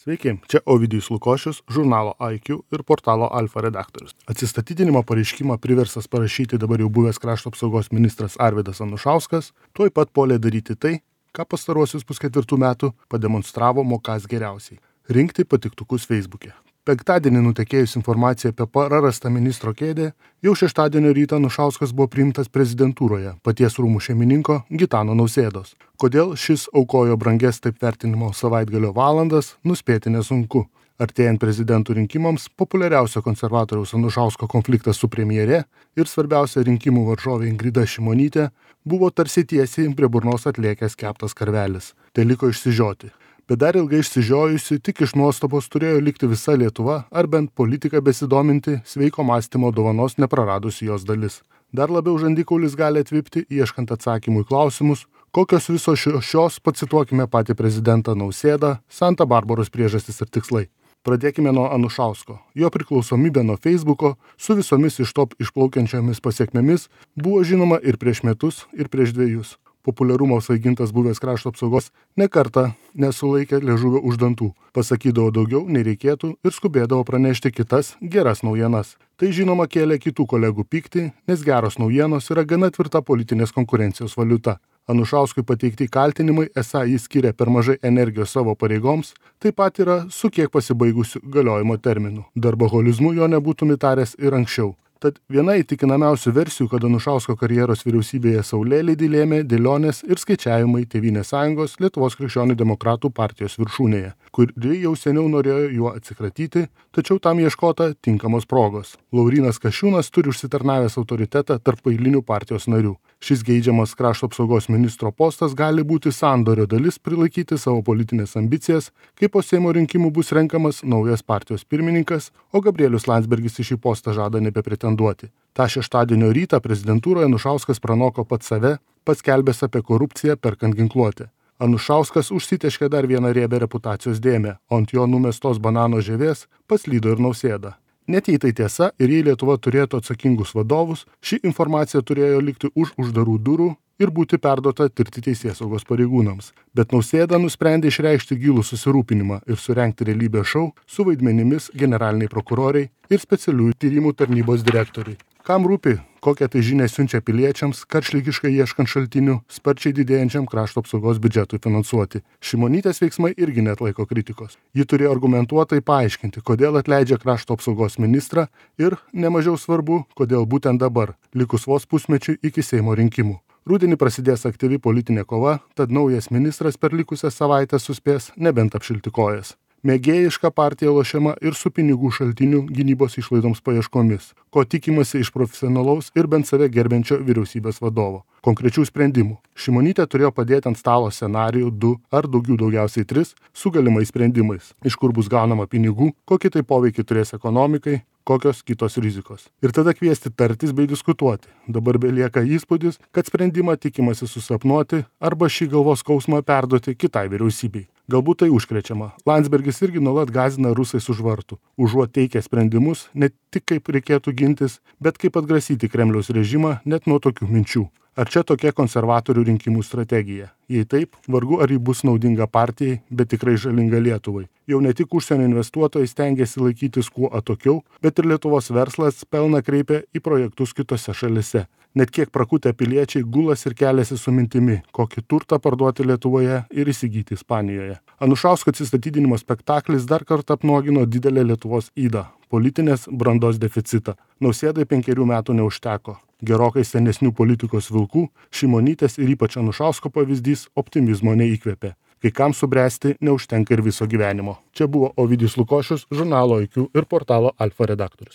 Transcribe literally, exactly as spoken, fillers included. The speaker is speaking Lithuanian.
Sveiki, čia Ovidijus Lukošius, žurnalo I Q ir portalo Alfa redaktorius. Atsistatydinimo pareiškimą priversas parašyti dabar jau buvęs krašto apsaugos ministras Arvydas Anušauskas, tuoj pat puolė daryti tai, ką pastaruosius pusketvirtų metų pademonstravo mokąs geriausiai – rinkti patiktukus Facebook'e. Penktadienį nutekėjus informacija apie prarastą ministro kėdę, jau šeštadienio rytą Anušauskas buvo priimtas prezidentūroje paties rūmų šeimininko Gitano Nausėdos. Kodėl šis aukojo brangias taip vertinimo savaitgalio valandas, nuspėti nesunku. Artėjant prezidentų rinkimams, populiariausio konservatoriaus Anušausko konfliktas su premjere ir svarbiausia rinkimų varžovė Ingrida Šimonytė buvo tarsi tiesiai prie burnos atliekęs keptas karvelis. Tai liko išsižioti. Bet dar ilgai išsižiojusi, tik iš nuostabos turėjo likti visa Lietuva ar bent politika besidominti sveiko mąstymo dovanos nepraradusi jos dalis. Dar labiau žandikaulis gali atvipti, ieškant atsakymų į klausimus, kokios visos šios, pacituokime patį prezidentą Nausėdą, Santa Barbaros priežastys ir tikslai. Pradėkime nuo Anušausko. Jo priklausomybė nuo Facebooko su visomis iš to išplaukiančiomis pasiekmėmis buvo žinoma ir prieš metus, ir prieš dviejus. Populiarumo svaigintas buvęs krašto apsaugos nekartą nesulaikė liežuvio už dantų, pasakydavo daugiau nei reikėtų ir skubėdavo pranešti kitas geras naujienas. Tai žinoma kėlė kitų kolegų pyktį, nes geros naujienos yra gana tvirta politinės konkurencijos valiuta. Anušauskui pateikti kaltinimai, esą jis skiria per mažai energijos savo pareigoms, taip pat yra su kiek pasibaigusiu galiojimo terminu. Darboholizmu jo nebūtum įtaręs ir anksčiau. Tad viena įtikinamiausių versijų, kad Anušausko karjeros vyriausybėje saulėlydį lėmė dėlionės ir skaičiavimai Tėvynės sąjungos Lietuvos krikščionių demokratų partijos viršūnėje, kuri jau seniau norėjo juo atsikratyti, tačiau tam ieškota tinkamos progos. Laurynas Kasčiūnas turi užsitarnavęs autoritetą tarp eilinių partijos narių. Šis geidžiamas krašto apsaugos ministro postas gali būti sandorio dalis prilaikyti savo politinės ambicijas, kai po Seimo rinkimų bus renkamas naujas partijos pirmininkas, o Gabrielius Landsbergis į šį postą žada nebepretenduoti. Ta šeštadienio rytą prezidentūroje Anušauskas pranoko pats save, paskelbęs apie korupciją perkant ginkluotę. Anušauskas užsiteškė dar vieną riebę reputacijos dėmę, o ant jo numestos banano žievės paslydo ir Nausėda. Net jei tai tiesa ir jei Lietuva turėtų atsakingus vadovus, ši informacija turėjo likti už uždarų durų ir būti perduota tirti teisėsaugos pareigūnams. Bet Nausėda nusprendė išreikšti gilų susirūpinimą ir surengti realybės šou su vaidmenimis generaliniai prokuroriai ir specialiųjų tyrimų tarnybos direktoriai. Kam rūpi, kokią tai žinią siunčia piliečiams, karšlygiškai ieškant šaltinių, sparčiai didėjančiam krašto apsaugos biudžetui finansuoti. Šimonytės veiksmai irgi neatlaiko kritikos. Ji turėjo argumentuotai paaiškinti, kodėl atleidžia krašto apsaugos ministrą ir, nemažiau svarbu, kodėl būtent dabar, likus vos pusmečiui iki Seimo rinkimų. Rudenį prasidės aktyvi politinė kova, tad naujas ministras per likusią savaitę suspės nebent apšilti kojas. Mėgėjiška partija lošiama ir su pinigų šaltinių gynybos išlaidoms paieškomis, ko tikimasi iš profesionalaus ir bent save gerbiančio vyriausybės vadovo. Konkrečių sprendimų. Šimonytė turėjo padėti ant stalo scenarijų du ar daugiau daugiausiai tris su galimais sprendimais, iš kur bus gaunama pinigų, kokį tai poveikį turės ekonomikai, kokios kitos rizikos. Ir tada kviesti tartis bei diskutuoti. Dabar belieka įspūdis, kad sprendimą tikimasi susapnuoti arba šį galvos skausmą perduoti kitai vyriausybei. Galbūt tai užkrečiama. Landsbergis irgi nuolat gąsdina rusais už vartų, užuot teikę sprendimus ne tik kaip reikėtų gintis, bet kaip atgrasyti Kremliaus režimą net nuo tokių minčių. Ar čia tokia konservatorių rinkimų strategija? Jei taip, vargu ar ji bus naudinga partijai, bet tikrai žalinga Lietuvai. Jau ne tik užsienio investuotojai stengiasi laikytis kuo atokiau, bet ir Lietuvos verslas pelną kreipia į projektus kitose šalise. Net kiek prakutę piliečiai gulas ir keliasi su mintimi, kokį turtą parduoti Lietuvoje ir įsigyti Ispanijoje. Anušausko atsistatydinimo spektaklis dar kartą apnuogino didelę Lietuvos ydą – politinės brandos deficitą. Nausėdai penkerių metų neužteko. Gerokai senesnių politikos vilkų, Šimonytės ir ypač Anušausko pavyzdys optimizmo neįkvėpė. Kai kam subręsti neužtenka ir viso gyvenimo. Čia buvo Ovidijus Lukošius, žurnalo I Q ir portalo Alfa redaktorius.